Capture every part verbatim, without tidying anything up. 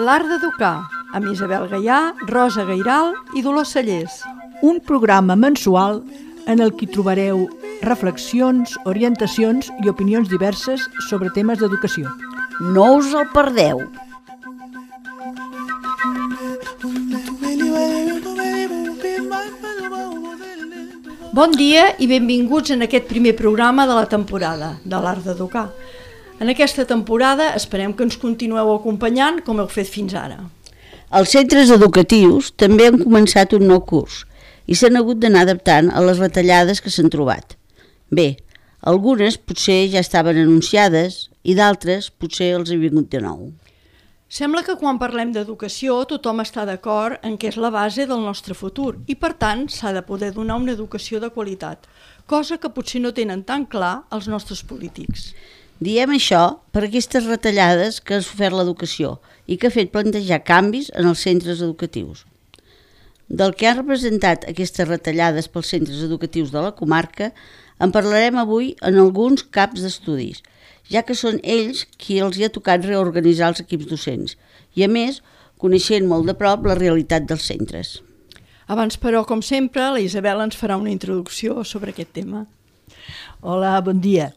L'art d'educar, amb Isabel Gaià, Rosa Gairal i Dolors Cellers. Un programa mensual en el que trobareu reflexions, orientacions i opinions diverses sobre temes d'educació. No us el perdeu! Bon dia i benvinguts en aquest primer programa de la temporada de l'art d'educar. En aquesta temporada esperem que ens continueu acompanyant com heu fet fins ara. Els centres educatius també han començat un nou curs i s'han hagut d'anar adaptant a les retallades que s'han trobat. Bé, algunes potser ja estaven anunciades i d'altres potser els ha vingut de nou. Sembla que quan parlem d'educació tothom està d'acord en què és la base del nostre futur i per tant s'ha de poder donar una educació de qualitat, cosa que potser no tenen tan clar els nostres polítics. Diem això per aquestes retallades que ha sofert l'educació i que ha fet plantejar canvis en els centres educatius. Del que han representat aquestes retallades pels centres educatius de la comarca en parlarem avui en alguns caps d'estudis, ja que són ells qui els hi ha tocat reorganitzar els equips docents i, a més, coneixent molt de prop la realitat dels centres. Abans, però, com sempre, la Isabel ens farà una introducció sobre aquest tema. Hola, bon dia.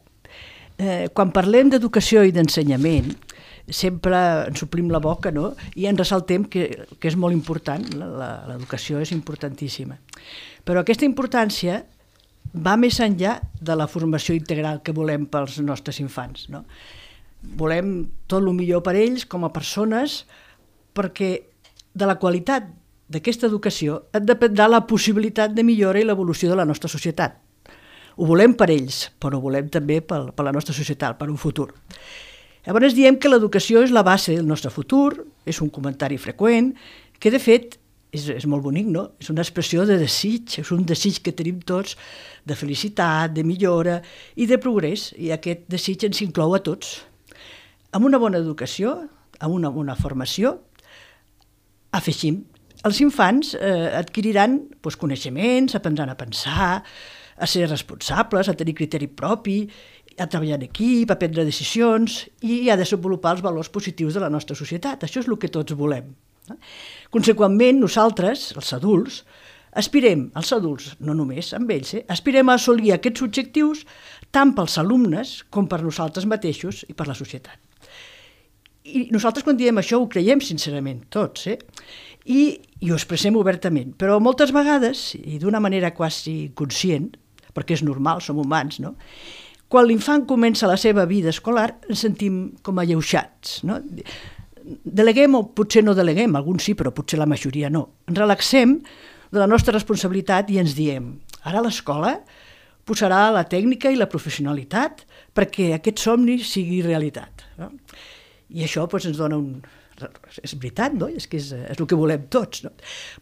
Eh, quan parlem d'educació i d'ensenyament, sempre ens omplim la boca, no? I ens ressaltem que, que és molt important, l'educació és importantíssima. Però aquesta importància va més enllà de la formació integral que volem pels nostres infants, no? Volem tot el millor per ells com a persones, perquè de la qualitat d'aquesta educació en dependrà la possibilitat de millora i l'evolució de la nostra societat. Ho volem per ells, però ho volem també per, per la nostra societat, per un futur. Llavors diem que l'educació és la base del nostre futur, és un comentari freqüent, que de fet és, és molt bonic, no? És una expressió de desig, és un desig que tenim tots de felicitat, de millora i de progrés, i aquest desig ens inclou a tots. Amb una bona educació, amb una bona formació, afegim, els infants eh, adquiriran doncs, coneixements, aprendran a pensar, a ser responsables, a tenir criteri propi, a treballar en equip, a prendre decisions i a desenvolupar els valors positius de la nostra societat. Això és el que tots volem. Conseqüentment, nosaltres, els adults, aspirem, els adults, no només amb ells, eh, aspirem a assolir aquests objectius tant pels alumnes com per nosaltres mateixos i per la societat. I nosaltres quan diem això ho creiem sincerament, tots, eh? I, i ho expressem obertament, però moltes vegades, i d'una manera quasi conscient, perquè és normal, som humans, no? Quan l'infant comença la seva vida escolar ens sentim com alleuixats, no? Deleguem o potser no deleguem, alguns sí, però potser la majoria no. Ens relaxem de la nostra responsabilitat i ens diem, ara l'escola posarà la tècnica i la professionalitat perquè aquest somni sigui realitat, no? I això doncs, ens dona un... És veritat, no? És que és, és el que volem tots, no?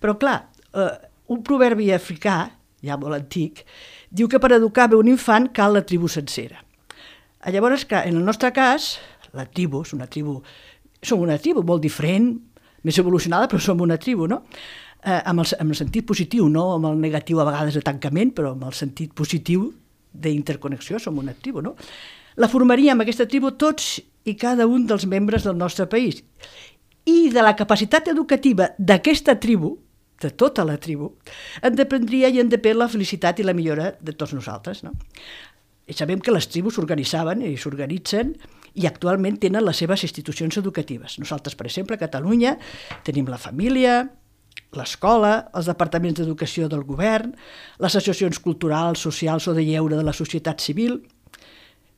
Però clar, eh, un proverbi africà, ja molt antic, diu que per educar bé un infant cal la tribu sencera. Llavors, en el nostre cas, la tribu és una tribu, som una tribu molt diferent, més evolucionada, però som una tribu, no? Eh, amb, el, amb el sentit positiu, no amb el negatiu a vegades de tancament, però amb el sentit positiu d'interconnexió, som una tribu, no? La formaríem aquesta tribu tots i cada un dels membres del nostre país. I de la capacitat educativa d'aquesta tribu, de tota la tribu, en dependria i en depèn la felicitat i la millora de tots nosaltres, no? I sabem que les tribus s'organitzaven i s'organitzen i actualment tenen les seves institucions educatives. Nosaltres, per exemple, a Catalunya tenim la família, l'escola, els departaments d'educació del govern, les associacions culturals, socials o de lleure de la societat civil.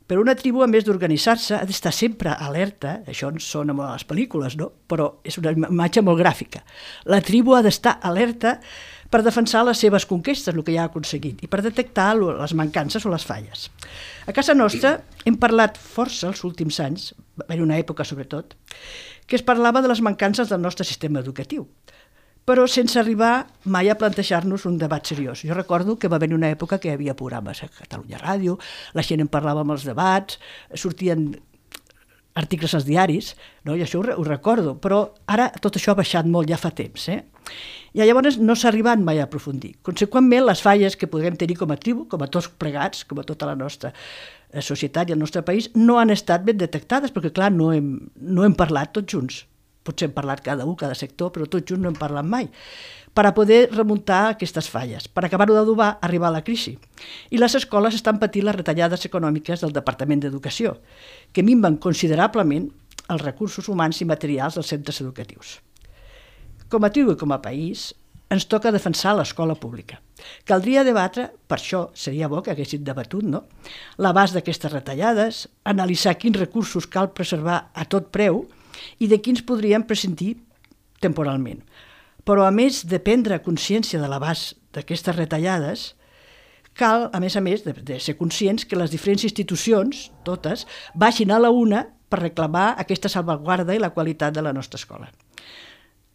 Però una tribu, a més d'organitzar-se, ha d'estar sempre alerta, això ens sona molt a les pel·lícules, no? Però és una imatge molt gràfica. La tribu ha d'estar alerta per defensar les seves conquestes, el que ja ha aconseguit, i per detectar les mancances o les falles. A casa nostra hem parlat força els últims anys, en una època sobretot, que es parlava de les mancances del nostre sistema educatiu, però sense arribar mai a plantejar-nos un debat seriós. Jo recordo que va haver una època que hi havia programes a Catalunya Ràdio, la gent en parlava amb els debats, sortien articles als diaris, no? I això ho, ho recordo, però ara tot això ha baixat molt ja fa temps, eh? I llavors no s'ha arribat mai a aprofundir. Conseqüentment, les falles que podem tenir com a tribu, com a tots plegats, com a tota la nostra societat i el nostre país, no han estat ben detectades, perquè clar, no hem, no hem parlat tots junts. Potser hem parlat cada un, cada sector, però tots junts no hem parlat mai, per a poder remuntar aquestes falles, per acabar-ho d'adobar, arribar a la crisi. I les escoles estan patint les retallades econòmiques del Departament d'Educació, que minven considerablement els recursos humans i materials dels centres educatius. Com a tribu i com a país, ens toca defensar l'escola pública. Caldria debatre, per això seria bo que haguessin debatut, no?, l'abast d'aquestes retallades, analitzar quins recursos cal preservar a tot preu i de quins podríem prescindir temporalment. Però a més de prendre consciència de l'abast d'aquestes retallades, cal, a més a més, de, de ser conscients que les diferents institucions, totes, baixin a la una per reclamar aquesta salvaguarda i la qualitat de la nostra escola.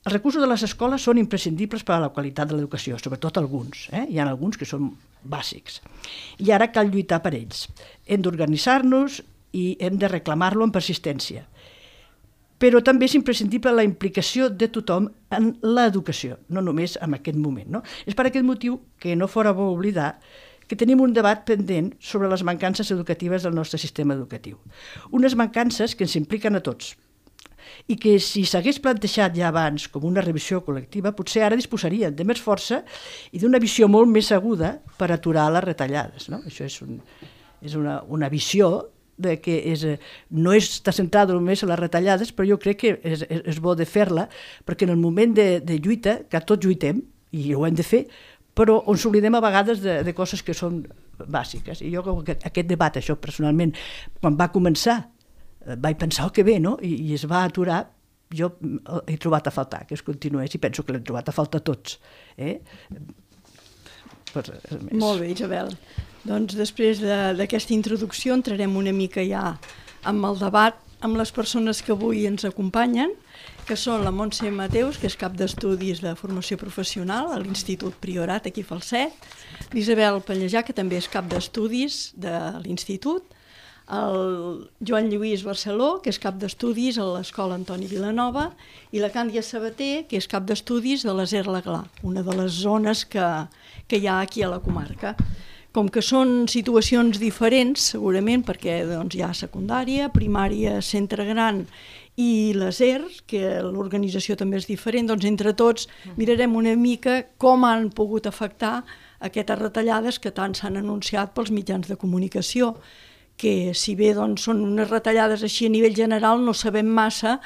Els recursos de les escoles són imprescindibles per a la qualitat de l'educació, sobretot alguns. Eh? Hi ha alguns que són bàsics. I ara cal lluitar per ells. Hem d'organitzar-nos i hem de reclamar-lo amb persistència. Però també és imprescindible la implicació de tothom en l'educació, no només en aquest moment. No? És per aquest motiu que no fora bo oblidar que tenim un debat pendent sobre les mancances educatives del nostre sistema educatiu. Unes mancances que ens impliquen a tots, i que si s'hagués plantejat ja abans com una revisió col·lectiva, potser ara disposarien de més força i d'una visió molt més aguda per aturar les retallades. No? Això és, un, és una, una visió de que és, no està centrada només en les retallades, però jo crec que és, és, és bo de fer-la, perquè en el moment de, de lluita, que tots lluitem, i ho hem de fer, però ens oblidem a vegades de, de coses que són bàsiques. I jo aquest, aquest debat, això personalment, quan va començar, vaig pensar, oh, que bé, no? I, i es va aturar, jo he trobat a faltar que es continués i penso que l'hem trobat a faltar tots. Eh? Per, Molt bé, Isabel. Doncs després d'aquesta introducció entrarem una mica ja amb el debat amb les persones que avui ens acompanyen, que són la Montse Mateus, que és cap d'estudis de formació professional a l'Institut Priorat, aquí a Falset, l'Isabel Pallejà, que també és cap d'estudis de l'Institut, el Joan Lluís Barceló, que és cap d'estudis a l'Escola Antoni Vilanova, i la Càndia Sabater, que és cap d'estudis de l'Aser Laglà, una de les zones que, que hi ha aquí a la comarca. Com que són situacions diferents, segurament, perquè doncs, hi ha secundària, primària, centre gran i l'Aser, que l'organització també és diferent, doncs entre tots mirarem una mica com han pogut afectar aquestes retallades que tant s'han anunciat pels mitjans de comunicació, que si bé doncs, són unes retallades així a nivell general, no sabem massa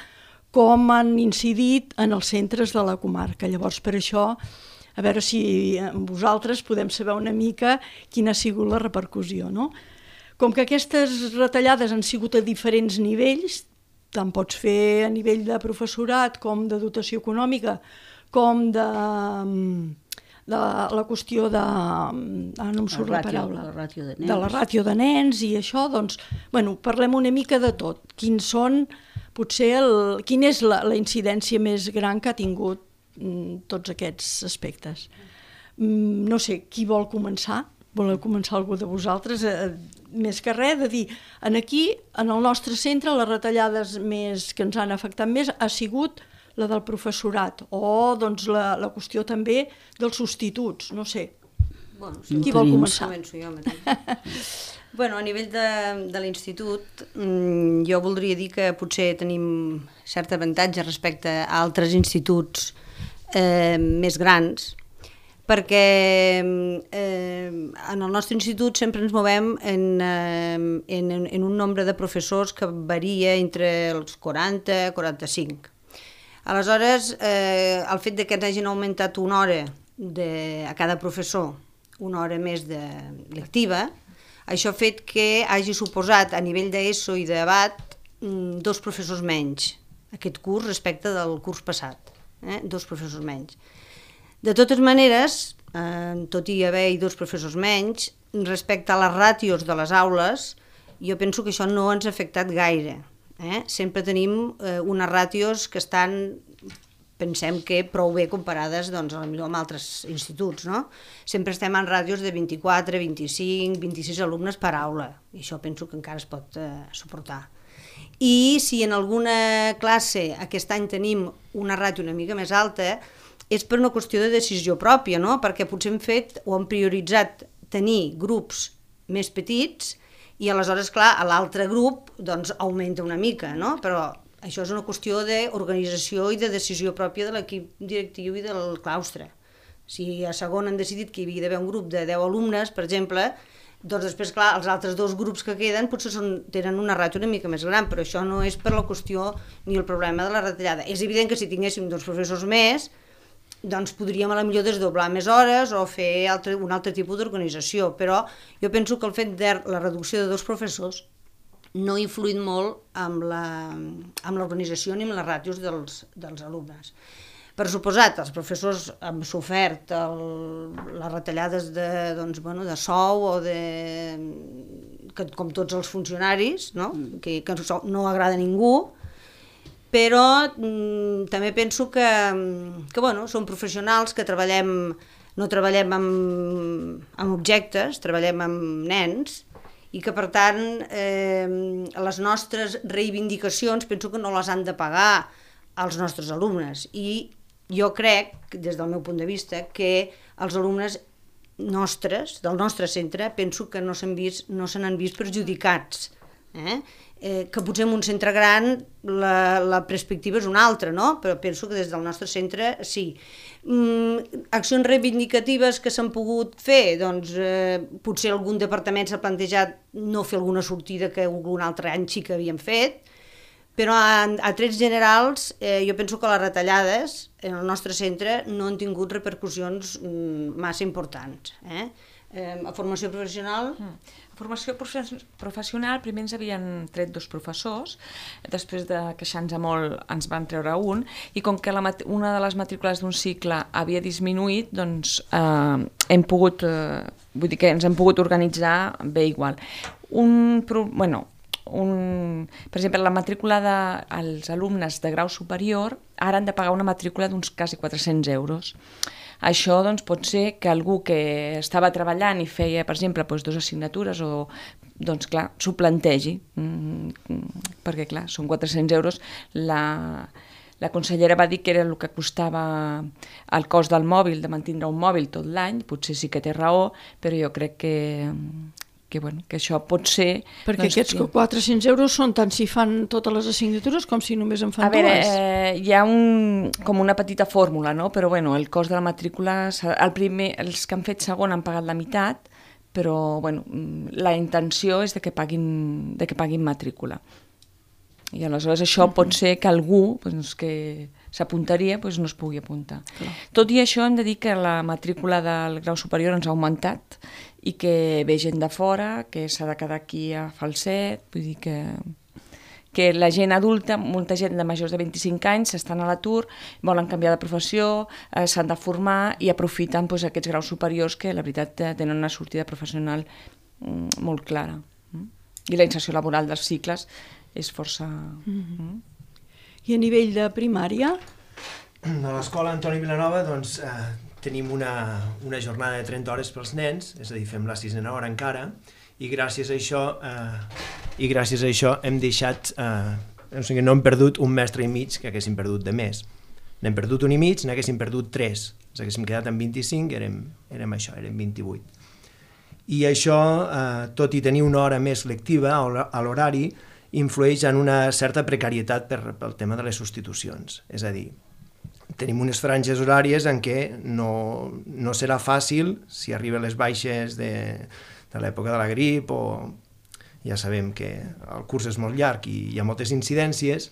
com han incidit en els centres de la comarca. Llavors, per això, a veure si vosaltres podem saber una mica quina ha sigut la repercussió. No? Com que aquestes retallades han sigut a diferents nivells, tant pots fer a nivell de professorat com de dotació econòmica, com de... de la qüestió de... Ah, no em surt la paraula. La ràtio de nens. De la ràtio de nens i això, doncs, bueno, parlem una mica de tot. Quins són, potser, el, quina és la, la incidència més gran que ha tingut mm, tots aquests aspectes. Mm, no sé, qui vol començar? Voleu començar algú de vosaltres? Eh, més que res, de dir, en aquí, en el nostre centre, les retallades més que ens han afectat més ha sigut la del professorat, o doncs, la, la qüestió també dels substituts, no sé. Bueno, sí, qui vol començar? Començo jo mateix. Bueno, a nivell de, de l'institut, jo voldria dir que potser tenim cert avantatge respecte a altres instituts eh, més grans, perquè eh, en el nostre institut sempre ens movem en, eh, en, en un nombre de professors que varia entre els quaranta i quaranta-cinc. Aleshores, eh, el fet de que ens hagin augmentat una hora de, a cada professor, una hora més de lectiva, això ha fet que hagi suposat a nivell d'ESO i d'ABAT dos professors menys aquest curs respecte del curs passat, eh? dos professors menys. De totes maneres, eh, tot i haver-hi dos professors menys, respecte a les ràtios de les aules, jo penso que això no ens ha afectat gaire. Eh? Sempre tenim eh, unes ràtios que estan, pensem que prou bé comparades doncs, amb altres instituts. No? Sempre estem en ràtios de vint-i-quatre, vint-i-cinc, vint-i-sis alumnes per aula, i això penso que encara es pot eh, suportar. I si en alguna classe aquest any tenim una ràtio una mica més alta, és per una qüestió de decisió pròpia, no? Perquè potser hem fet o hem prioritzat tenir grups més petits i aleshores, clar, a l'altre grup doncs augmenta una mica, no? Però això és una qüestió d'organització i de decisió pròpia de l'equip directiu i del claustre. Si a segon han decidit que hi havia d'haver un grup de deu alumnes, per exemple, doncs després, clar, els altres dos grups que queden potser són, tenen una ràtio una mica més gran, però això no és per la qüestió ni el problema de la retallada. És evident que si tinguéssim dos professors més, doncs podríem a la millor desdoblar més hores o fer altre, un altre tipus d'organització, però jo penso que el fet de la reducció de dos professors no ha influït molt amb l'organització ni amb les ràtios dels, dels alumnes. Per suposat, els professors han sofert el, les retallades de, doncs, bueno, de sou o de... Que, com tots els funcionaris, no? Que, que no agrada a ningú, però mm, també penso que, que bueno, som professionals que treballem, no treballem amb, amb objectes, treballem amb nens, i que per tant eh, les nostres reivindicacions penso que no les han de pagar als nostres alumnes, i jo crec, des del meu punt de vista, que els alumnes nostres, del nostre centre, penso que no s'han vist, no se n'han vist perjudicats. Eh? Eh, que potser en un centre gran la, la perspectiva és una altra, no? Però penso que des del nostre centre sí. Mm, accions reivindicatives que s'han pogut fer, doncs eh, potser algun departament s'ha plantejat no fer alguna sortida que algun altre any sí que havíem fet, però a, a trets generals eh, jo penso que les retallades en el nostre centre no han tingut repercussions mm, massa importants. Eh? Eh, a formació professional... Mm. A formació professional primer ens havien tret dos professors, després de queixar-nos molt ens van treure un, i com que la, una de les matrícules d'un cicle havia disminuït, doncs eh, hem pogut, eh, vull dir que ens hem pogut organitzar bé igual. Un, bueno, un, per exemple, la matrícula dels alumnes de grau superior ara han de pagar una matrícula d'uns quasi quatre-cents euros. Això doncs, pot ser que algú que estava treballant i feia, per exemple, doncs, dues assignatures o, doncs clar, s'ho plantegi, mm, perquè clar, són quatre-cents euros. La, la consellera va dir que era el que costava el cost del mòbil, de mantindre un mòbil tot l'any, potser sí que té raó, però jo crec que... Que, bueno, que això pot ser... Perquè doncs, aquests quatre-cents euros són tant si fan totes les assignatures com si només en fan a veure, dues. Eh, hi ha un, com una petita fórmula, no? Però bueno, el cost de la matrícula, el primer, els que han fet segon han pagat la meitat, però bueno, la intenció és de que paguin, de que paguin matrícula. I aleshores això pot ser que algú doncs, que s'apuntaria doncs, no es pugui apuntar. Clar. Tot i això hem de dir que la matrícula del grau superior ens ha augmentat i que ve gent de fora, que s'ha de quedar aquí a Falset, vull dir que, que la gent adulta, molta gent de majors de vint-i-cinc anys estan a l'atur, volen canviar de professió, eh, s'han de formar i aprofiten doncs, aquests graus superiors que la veritat tenen una sortida professional mm, molt clara. Mm? I la inserció laboral dels cicles és força... Mm-hmm. Mm. I a nivell de primària? A l'escola Antoni Vilanova doncs, eh, tenim una, una jornada de trenta hores pels nens, és a dir, fem la sisena hora encara, i gràcies a això, eh, i gràcies a això hem deixat, eh, o sigui, no hem perdut un mestre i mig que haguéssim perdut de més. N'hem perdut un i mig, n'haguéssim perdut tres. Ens haguéssim quedat amb vint-i-cinc, érem, érem això, érem vint-i-vuit. I això, eh, tot i tenir una hora més lectiva a l'horari, influeix en una certa precarietat per, pel tema de les substitucions. És a dir, tenim unes franges horàries en què no, no serà fàcil, si arriben les baixes de, de l'època de la grip, o ja sabem que el curs és molt llarg i hi ha moltes incidències,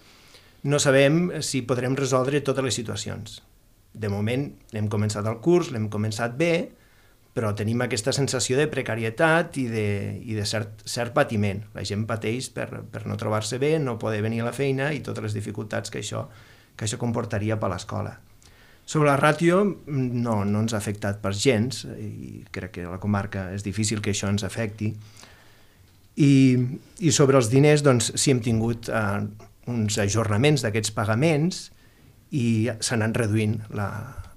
no sabem si podrem resoldre totes les situacions. De moment hem començat el curs, l'hem començat bé, però tenim aquesta sensació de precarietat i de, i de cert, cert patiment. La gent pateix per, per no trobar-se bé, no poder venir a la feina i totes les dificultats que això, que això comportaria per l'escola. Sobre la ràtio, no, no ens ha afectat per gens, i crec que a la comarca és difícil que això ens afecti. I, i sobre els diners, doncs, sí hem tingut eh, uns ajornaments d'aquests pagaments i s'han anat reduint la,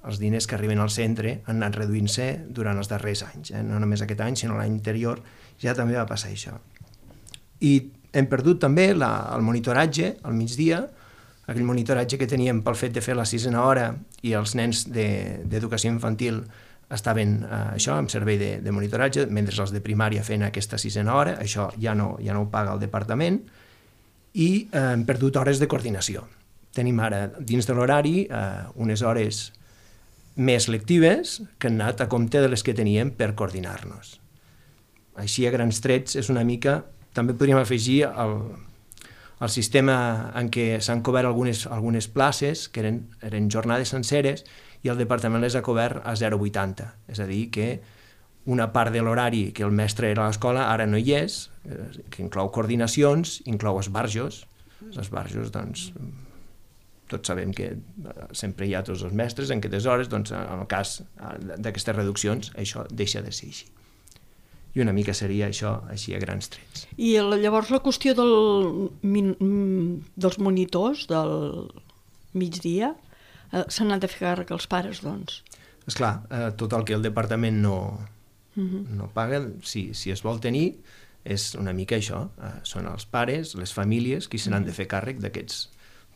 els diners que arriben al centre han anat reduint-se durant els darrers anys, eh? No només aquest any, sinó l'any anterior ja també va passar això. I hem perdut també la, el monitoratge al migdia, aquell monitoratge que teníem pel fet de fer la sisena hora i els nens d'educació infantil estaven eh, això, amb servei de, de monitoratge, mentre els de primària feien aquesta sisena hora, això ja no, ja no ho paga el departament, i eh, hem perdut hores de coordinació. Tenim ara, dins de l'horari, eh, unes hores més lectives que han anat a compte de les que teníem per coordinar-nos. Així, a grans trets, és una mica... També podríem afegir el, el sistema en què s'han cobert algunes, algunes places, que eren, eren jornades senceres, i el departament les ha cobert a zero coma vuitanta. És a dir, que una part de l'horari que el mestre era a l'escola ara no hi és, que inclou coordinacions, inclou esbarjos. Els esbarjos, doncs, tots sabem que sempre hi ha tots els mestres en aquestes hores, doncs, en el cas d'aquestes reduccions, això deixa de ser així. I una mica seria això, així a grans trets. I llavors la qüestió del, dels monitors del migdia, eh, se n'han de fer càrrec els pares, doncs? Esclar, eh, tot el que el departament no, uh-huh. no paga, si, si es vol tenir, és una mica això. Eh, són els pares, les famílies, qui se n'han de fer càrrec d'aquests,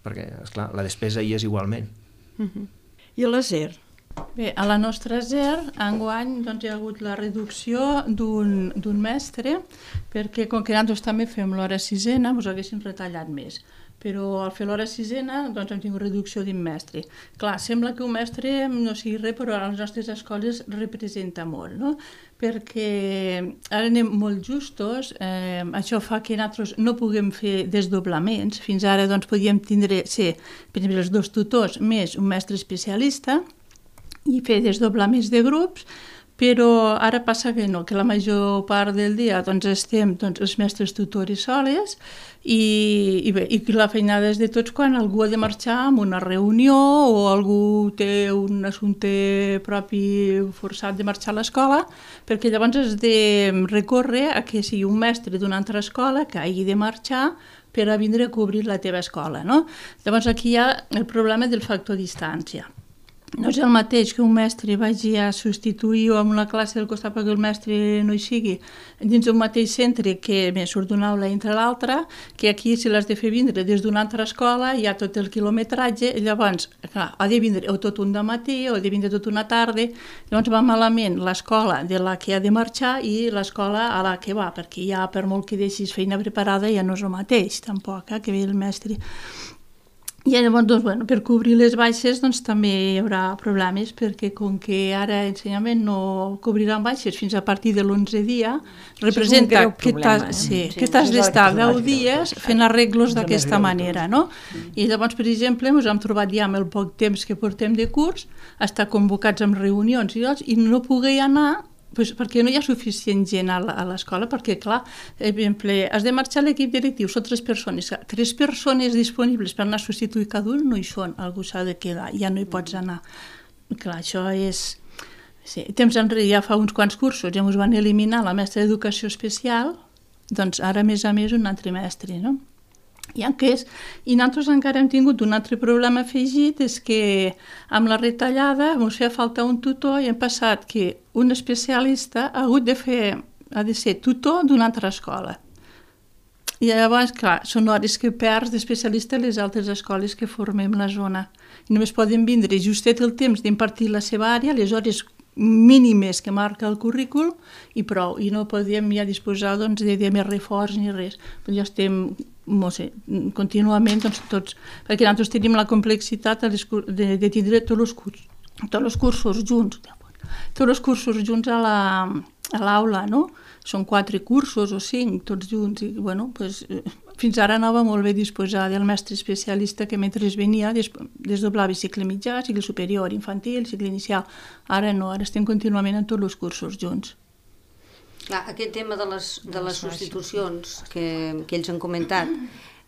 perquè, esclar, la despesa hi és igualment. Uh-huh. I a la S E R? Bé, a la nostra S E R, enguany doncs, hi ha hagut la reducció d'un mestre, perquè com que nosaltres també fem l'hora sisena, ens haguessin retallat més. Però al fer l'hora sisena doncs, hem tingut reducció d'un mestre. Clar, sembla que un mestre no sigui res, però a les nostres escoles representa molt, no? Perquè ara anem molt justos, eh, això fa que nosaltres no puguem fer desdoblaments. Fins ara doncs, podíem tindre, ser, per exemple, els dos tutors més un mestre especialista, i fer desdoblaments de grups, però ara passa que no, que la major part del dia doncs, estem doncs, els mestres tutors soles i, i, bé, i la feinada és de tots quan algú ha de marxar a una reunió o algú té un assumpte propi forçat de marxar a l'escola, perquè llavors has de recórrer a que sigui un mestre d'una altra escola que hagi de marxar per a vindre a cobrir la teva escola, no? Llavors aquí hi ha el problema del factor distància. No és el mateix que un mestre vagi a substituir o en una classe del costat perquè el mestre no hi sigui dins d'un mateix centre que més surt d'una aula entre l'altra, que aquí si l'has de fer vindre des d'una altra escola hi ha tot el quilometratge, i llavors clar, ha de vindre o tot un dematí o ha de vindre tot una tarda, llavors va malament l'escola de la que ha de marxar i l'escola a la que va, perquè ja per molt que deixis feina preparada ja no és el mateix tampoc, eh, que ve el mestre. I llavors, doncs, bueno, per cobrir les baixes doncs, també hi haurà problemes, perquè com que ara ensenyament no cobriran baixes fins a partir de l'onze dia, representa que t'has sí, sí, d'estar deu dies fent arreglos d'aquesta manera, no? I llavors, per exemple, ens hem trobat ja amb el poc temps que portem de curs, estar convocats amb reunions i, i no poder anar pues perquè no hi ha suficient gent a l'escola, perquè, clar, per exemple, has de marxar l'equip directiu, són tres persones. Tres persones disponibles per anar a substituir cada un no hi són, algú s'ha de quedar, ja no hi pots anar. Clar, això és... Sí. Temps enrere, ja fa uns quants cursos, ja ens van eliminar la mestra d'educació especial, doncs ara, a més a més, un altre mestre, no? I, és, I nosaltres encara hem tingut un altre problema afegit, és que amb la retallada ens feia falta un tutor i hem passat que un especialista ha hagut de fer, ha de ser tutor d'una altra escola. I llavors, clar, són hores que perds d'especialista a les altres escoles que formem la zona. I només poden vindre justet el temps d'impartir la seva àrea, les hores mínimes que marca el currícul i prou, i no podíem ja disposar doncs, de, de més reforç ni res. Però ja estem, no sé, contínuament doncs, tots, perquè nosaltres tenim la complexitat de, de, de tindre tots els cursos, tots els cursos junts, tots els cursos junts a la, a l'aula, no? Són quatre cursos o cinc, tots junts, i bueno, pues, fins ara anava molt bé disposar del mestre especialista que mentre venia des, desdoblava cicle mitjà, cicle superior, infantil, cicle inicial. Ara no, ara estem contínuament en tots els cursos junts. Clar, aquest tema de les, de les substitucions que, que ells han comentat,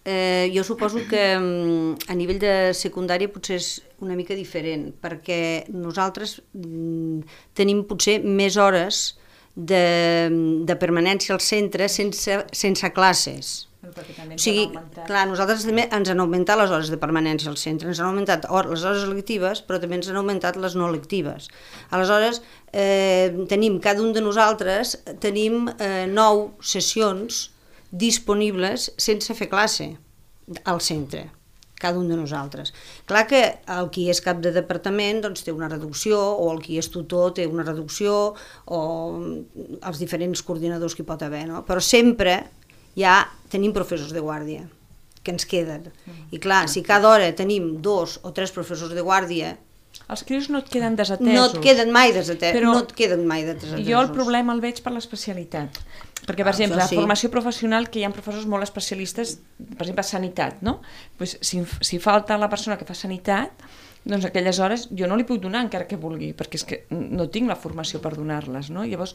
eh, jo suposo que a nivell de secundària potser és una mica diferent, perquè nosaltres mm, tenim potser més hores de, de permanència al centre sense, sense classes. O sigui, clar, nosaltres també ens han augmentat les hores de permanència al centre, ens han augmentat les hores lectives, però també ens han augmentat les no lectives. Aleshores, eh, tenim, cada un de nosaltres, tenim eh, nou sessions disponibles sense fer classe al centre. cada un de nosaltres. Clar que el qui és cap de departament doncs, té una reducció, o el qui és tutor té una reducció, o els diferents coordinadors que hi pot haver, no? Però sempre ja tenim professors de guàrdia que ens queden. I clar, si cada hora tenim dos o tres professors de guàrdia, els crios no et queden desatesos. no et queden mai desatesos. Però no et queden mai desatesos. Jo el problema el veig per l'especialitat. Perquè, per Ah, exemple, això la sí. formació professional, que hi ha professors molt especialistes, per exemple, sanitat, no? Pues, si, si falta la persona que fa sanitat, doncs aquelles hores jo no li puc donar encara que vulgui, perquè és que no tinc la formació per donar-les, no? Llavors,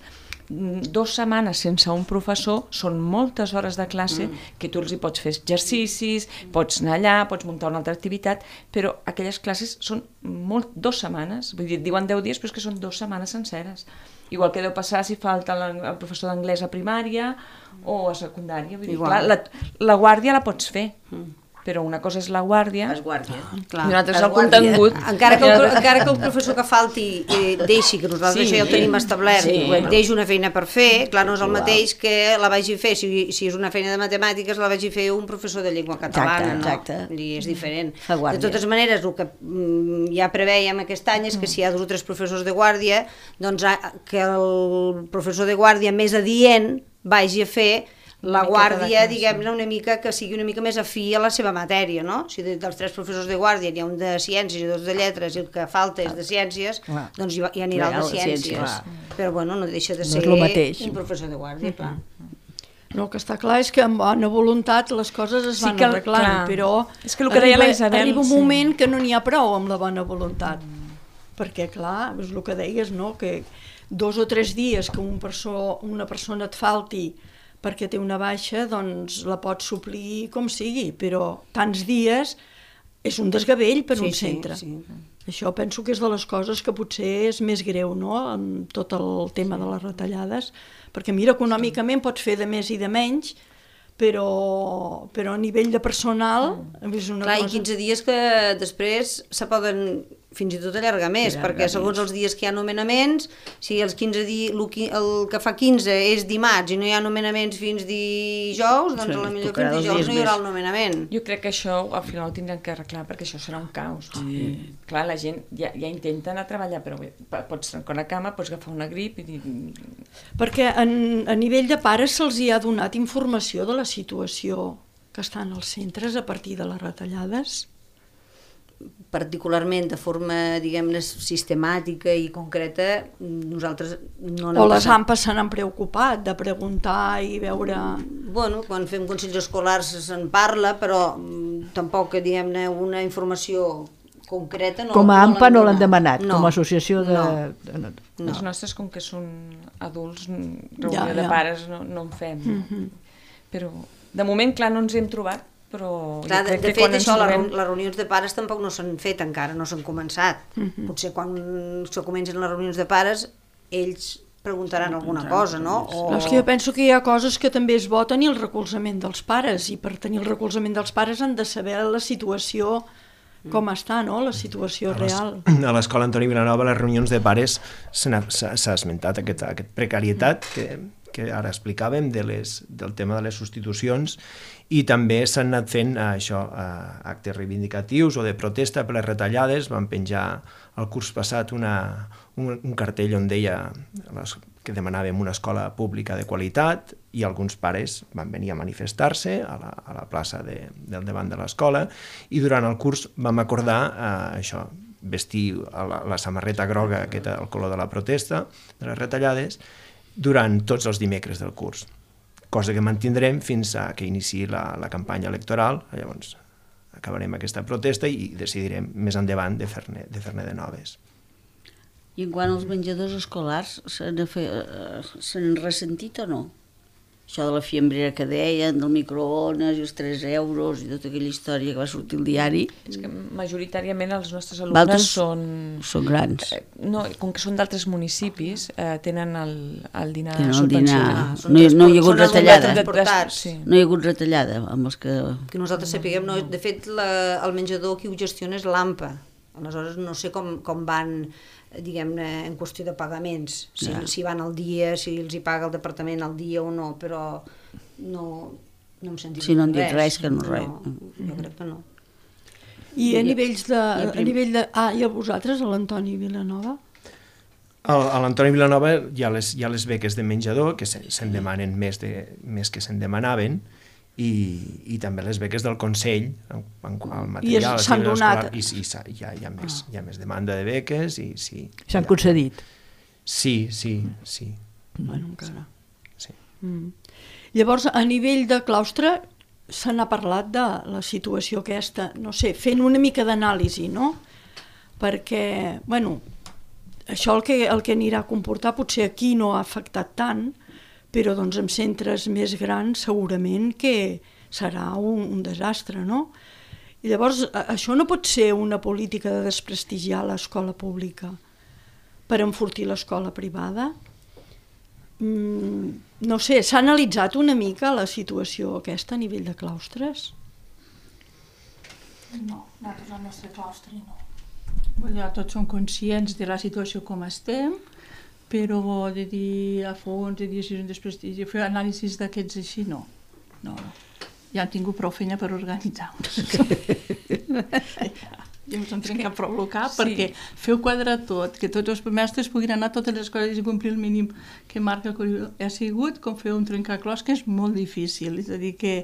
dues setmanes sense un professor són moltes hores de classe mm. que tu els hi pots fer exercicis, pots anar allà, pots muntar una altra activitat, però aquelles classes són molt, dues setmanes, vull dir, diuen deu dies, però és que són dues setmanes senceres. Igual que deu passar si falta la, el professor d'anglès a primària o a secundària. Vull dir, clar, la, la guàrdia la pots fer, mm. però una cosa és la guàrdia, Fas guàrdia. Clar, i una altra és fas el guàrdia. contingut. Encara que, el, encara que el professor que falti eh, deixi, que nosaltres Sí. això ja ho tenim establert, Sí. sí. deixi una feina per fer, clar, no és el Igual. mateix que la vagi fer, si, si és una feina de matemàtiques, la vagi fer un professor de llengua catalana, Exacte, no? I és diferent. Fa guàrdia. De totes maneres, el que mm, ja preveiem aquest any és que si hi ha dos o tres professors de guàrdia, doncs a- que el professor de guàrdia més adient vagi a fer la miqueta de guàrdia, classe. diguem-ne, una mica que sigui una mica més afí a la seva matèria, no? Si de, dels tres professors de guàrdia n'hi ha un de ciències i dos de lletres i el que falta és de ciències, Clar. doncs hi, va- hi anirà el Clar, de el de ciències. ciències. Però bueno, no deixa de No ser és lo mateix. un professor de guàrdia, clar. No, el que està clar és que amb bona voluntat les coses es Sí van que el- arreglant, clar. però És que el que deia la Isabel, arriba un sí. moment que no n'hi ha prou amb la bona voluntat. Perquè, clar, és el que deies, no? Que dos o tres dies que un perso una persona et falti perquè té una baixa, doncs la pots suplir com sigui, però tants dies és un desgavell per Sí, un sí, centre. sí. Això penso que és de les coses que potser és més greu, no?, amb tot el tema de les retallades, perquè mira, econòmicament pots fer de més i de menys, però, però a nivell de personal és una Clar, i cosa... quinze dies que després se poden fins i tot allargar més, Allargar perquè segons els dies que hi ha nomenaments, si els quinze dies, el, qui- el que fa quinze és dimarts i no hi ha nomenaments fins dijous, doncs Sí, a la millor tocarà fins dos dijous dies no hi haurà més. el nomenament. Jo crec que això al final ho tindran que arreglar perquè això serà un caos. Sí. Clar, la gent ja, ja intenta anar a treballar, però bé, pots trencar una cama, pots agafar una grip i dir... Perquè en, a nivell de pares se'ls hi ha donat informació de la situació que estan als centres a partir de les retallades. Particularment de forma, diguem-ne, sistemàtica i concreta, nosaltres no n'hem O les passat. AMPAs se n'han preocupat de preguntar i veure... Bueno, quan fem consells escolars se'n parla, però mm, tampoc, diguem-ne, una informació concreta no, Com a AMPA no l'han donat. demanat, No, com a associació de... no. de- no. No. Els nostres, com que són adults, reunió Ja, de ja. pares no, no en fem. Però, de moment, clar, no ens hem trobat, però Clar, jo de, crec de que fet, quan ens això, les, trobem... reun- les reunions de pares tampoc no s'han fet encara, no s'han començat. Potser quan se comencen les reunions de pares, ells preguntaran alguna cosa, no? O... No, és que jo penso que hi ha coses que també és bo tenir el recolzament dels pares, i per tenir el recolzament dels pares han de saber la situació com està, no?, la situació real. A l'escola Antoni Vilanova, les reunions de pares se n'ha- s'ha s'ha esmentat aquesta aquest precarietat que, que ara explicàvem de les, del tema de les substitucions, i també s'han anat fent eh, això, eh, actes reivindicatius o de protesta per les retallades. Van penjar el curs passat una, un, un cartell on deia les, que demanàvem una escola pública de qualitat, i alguns pares van venir a manifestar-se a la, a la plaça de, del davant de l'escola, i durant el curs vam acordar eh, això, vestir la, la samarreta groga, que era el color de la protesta, de les retallades, durant tots els dimecres del curs, cosa que mantindrem fins a que iniciï la, la campanya electoral. Llavors acabarem aquesta protesta i decidirem més endavant de fer-ne de, fer de noves. I en quant als menjadors escolars, se n'han ressentit o no? Això de la fiambrera que deien, del microones i els tres euros i tota aquella història que va sortir al diari. És que majoritàriament els nostres alumnes Valtres són... són grans. Eh, no, com que són d'altres municipis, eh, tenen el, el dinar Tenen el dinar. subvencionat. són No hi- no hi ha hagut són alumnes retallada. transportats. Sí. No hi ha hagut retallada amb els que... Que nosaltres sapiguem, no, de fet, la, el menjador qui ho gestiona és l'AMPA. Aleshores, no sé com, com van, diguem-ne, en qüestió de pagaments, si, Ja. si van al dia, si els hi paga el departament al dia o no, però no, no hem sentit Si no han dit res, que no res. No, jo crec que no. I a nivells de... A nivell de ah, i a vosaltres, a l'Antoni Vilanova? A l'Antoni Vilanova hi ha les, hi ha les beques de menjador, que se'n se demanen més, de, més que se'n demanaven, i, i també les beques del Consell, en, en, el material... I s'han donat... I sí, hi ha, hi, ha més, ah. hi ha més demanda de beques, i sí... S'han concedit? Sí, sí, sí. Bueno, encara. Sí. Mm. Llavors, a nivell de claustre, se n'ha parlat de la situació aquesta, no sé, fent una mica d'anàlisi, no? Perquè, bueno, això el que, el que anirà a comportar potser aquí no ha afectat tant, però doncs en centres més grans segurament que serà un, un desastre, no? I llavors, això no pot ser una política de desprestigiar l'escola pública per enfortir l'escola privada? Mm, no sé, s'ha analitzat una mica la situació aquesta a nivell de claustres? No, nosaltres al nostre claustre no. Vull dir, tots som conscients de la situació com estem, però de dir a fons, de dir si és un desprestigi, fer anàlisis d'aquests així, no. No, ja han tingut prou feina per organitzar-nos. Ja no se'n trenca prou el cap, sí. Perquè feu quadrar tot, que tots els mestres puguin anar a totes les escoles i complir el mínim que marca el currículum. Ha sigut com fer un trencaclòs, que és molt difícil, és a dir que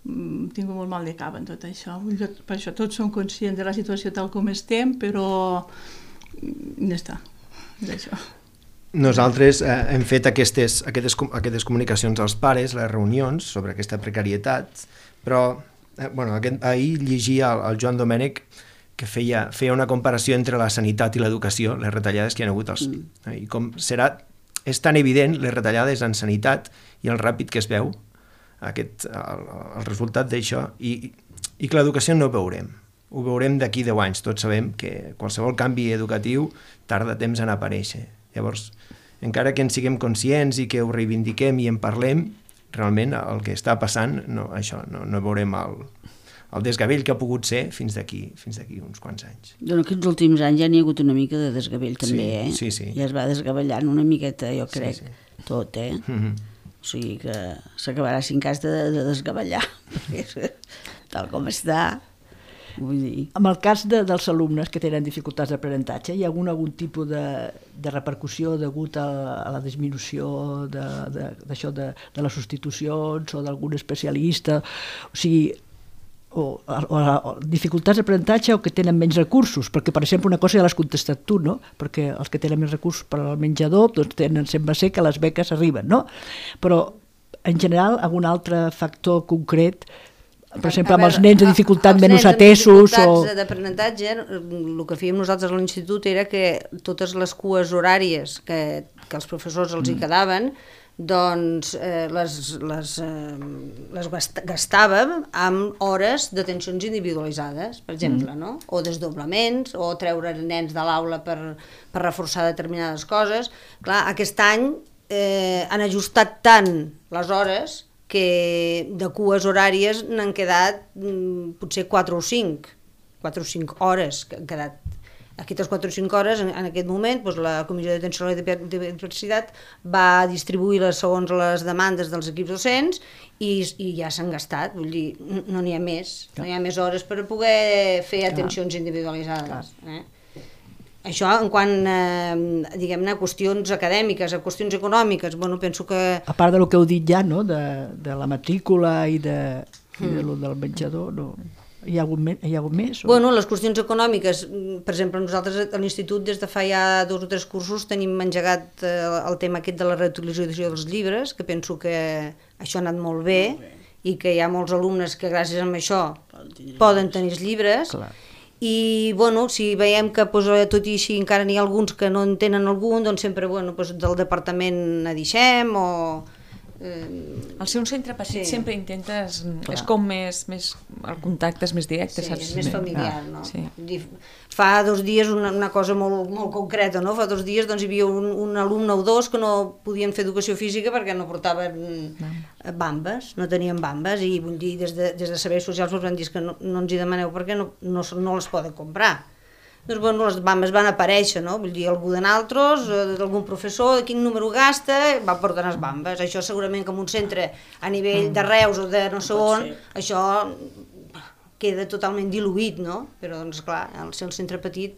mm, tinc molt mal de cap en tot això. Per això tots som conscients de la situació tal com estem, però ja està, és això. Nosaltres eh, hem fet aquestes, aquestes, aquestes comunicacions als pares, les reunions sobre aquesta precarietat, però eh, bueno, aquest, ahir llegia el, el Joan Domènech que feia, feia una comparació entre la sanitat i l'educació, les retallades que hi ha hagut. Els, mm. I com serà, és tan evident les retallades en sanitat i el ràpid que es veu, aquest, el, el resultat d'això, i, i que l'educació no ho veurem. Ho veurem d'aquí deu anys. Tots sabem que qualsevol canvi educatiu tarda temps en aparèixer. Llavors, encara que en siguem conscients i que ho reivindiquem i en parlem, realment el que està passant, no, això, no, no veurem el, el desgavell que ha pogut ser fins d'aquí fins d'aquí uns quants anys. En aquests últims anys ja n'hi ha hagut una mica de desgavell també, sí, eh? Sí, sí. Ja es va desgavellant una miqueta, jo crec, sí, sí. Tot, eh? Mm-hmm. O sigui que s'acabarà sin cas de, de desgavellar, perquè tal com està, vull dir... En el cas de, dels alumnes que tenen dificultats d'aprenentatge, hi ha algun, algun tipus de, de repercussió degut a, a la disminució de, de, d'això de, de les substitucions o d'algun especialista? O sigui, o, o, o dificultats d'aprenentatge o que tenen menys recursos, perquè per exemple una cosa ja l'has contestat tu, no? Perquè els que tenen més recursos per al menjador doncs tenen, sembla ser que les beques arriben, no? Però en general algun altre factor concret, per exemple, amb els nens de dificultat menys atesos... Els nens d'aprenentatge, el que fèiem nosaltres a l'institut era que totes les cues horàries que, que els professors els hi quedaven, doncs eh, les, les, eh, les gastàvem amb hores d'atencions individualitzades, per exemple, no? O desdoblaments, o treure nens de l'aula per, per reforçar determinades coses. Clar, aquest any eh, han ajustat tant les hores que de cues horàries n'han quedat mm, potser quatre o cinc, quatre o cinc hores que han quedat. Aquestes quatre o cinc hores, en, en aquest moment, doncs, la Comissió d'Atenció a la Diversitat va distribuir-les segons les demandes dels equips docents i, i ja s'han gastat, vull dir, no n'hi ha més, no hi ha més hores per poder fer atencions individualitzades. Eh? Això en quant a, diguem-ne, a qüestions acadèmiques, a qüestions econòmiques, bueno, penso que... A part de lo que heu dit ja, no?, de, de la matrícula i de, mm. i de lo del menjador, no? Hi ha hagut, hi ha hagut més? O... Bueno, les qüestions econòmiques, per exemple, nosaltres a l'institut des de fa ja dos o tres cursos tenim engegat el tema aquest de la reutilització dels llibres, que penso que això ha anat molt bé, molt bé. I que hi ha molts alumnes que gràcies a això poden tenir els llibres. Clar. I bueno, si veiem que pues, tot i així encara n'hi ha alguns que no en tenen algun, doncs sempre bueno, pues, del departament ne deixem o... Eh... Al ser un centre petit sí. Sempre intentes... Clar. És com més, més... El contacte és més directe, sí, saps? És més familiar, ah, no? Sí. Fa dos dies una, una cosa molt, molt concreta, no? Fa dos dies doncs, hi havia un, un alumne o dos que no podien fer educació física perquè no portaven no. bambes, no tenien bambes, i vull dir, des de, des de serveis socials ens van dir que no, no ens hi demaneu perquè no, no, no les poden comprar. Doncs bueno, les bambes van aparèixer, no? Vull dir, algú de naltros, d'algun professor, de quin número gasta, va portar les bambes. Això segurament que en un centre a nivell de Reus o de no sé on, això queda totalment diluït, no? Però, doncs, clar, al ser el centre petit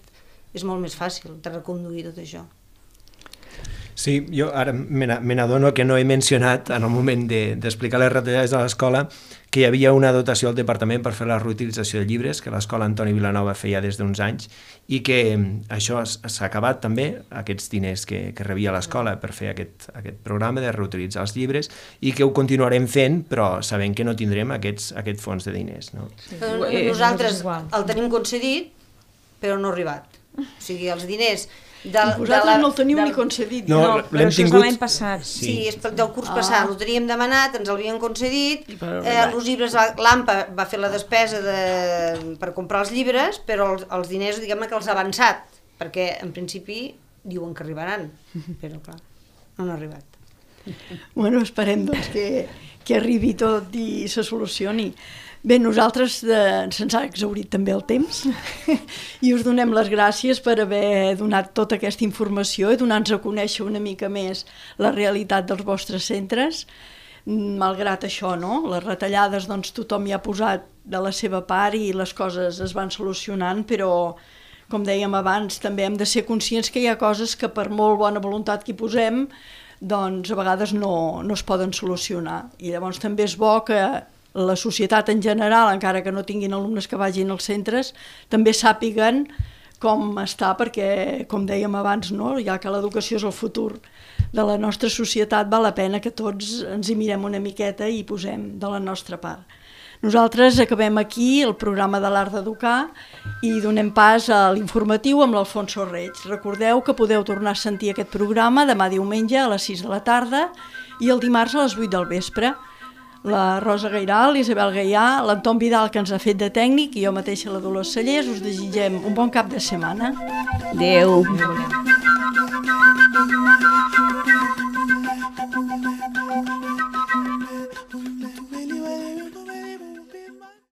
és molt més fàcil de reconduir tot això. Sí, jo ara me n'adono que no he mencionat en el moment d'explicar de, les retallades de l'escola que hi havia una dotació al departament per fer la reutilització de llibres que l'escola Antoni Vilanova feia des d'uns anys i que això s'ha acabat també, aquests diners que, que rebia l'escola per fer aquest, aquest programa de reutilitzar els llibres i que ho continuarem fent però sabent que no tindrem aquests, aquest fons de diners. No? Sí. Nosaltres el tenim concedit però no ha arribat. O sigui, els diners Del, vosaltres de la, no el teniu del... ni concedit. No, no però això tingut... és de l'any passat. Sí, sí és del curs ah. passat, ho teníem demanat, ens l'havien concedit, però, eh, els llibres, l'AMPA va fer la despesa de, per comprar els llibres, però els, els diners, diguem-ne que els ha avançat, perquè en principi diuen que arribaran, però clar, no han arribat. Bueno, esperem doncs que, que arribi tot i se solucioni. Bé, nosaltres eh, se'ns ha exhaurit també el temps i us donem les gràcies per haver donat tota aquesta informació i donar-nos a conèixer una mica més la realitat dels vostres centres. Malgrat això, no? Les retallades, doncs tothom hi ha posat de la seva part i les coses es van solucionant, però, com dèiem abans, també hem de ser conscients que hi ha coses que per molt bona voluntat que hi posem, doncs a vegades no, no es poden solucionar. I llavors també és bo que la societat en general, encara que no tinguin alumnes que vagin als centres, també sàpiguen com està, perquè, com dèiem abans, no? Ja que l'educació és el futur de la nostra societat, val la pena que tots ens hi mirem una miqueta i posem de la nostra part. Nosaltres acabem aquí el programa de l'Art d'Educar i donem pas a l'informatiu amb l'Alfonso Reig. Recordeu que podeu tornar a sentir aquest programa demà diumenge a les sis de la tarda i el dimarts a les vuit del vespre. La Rosa Gairal, l'Isabel Gaià, l'Anton Vidal, que ens ha fet de tècnic, i jo mateixa, la Dolors Cellers, us desitgem un bon cap de setmana. Adéu. Adéu.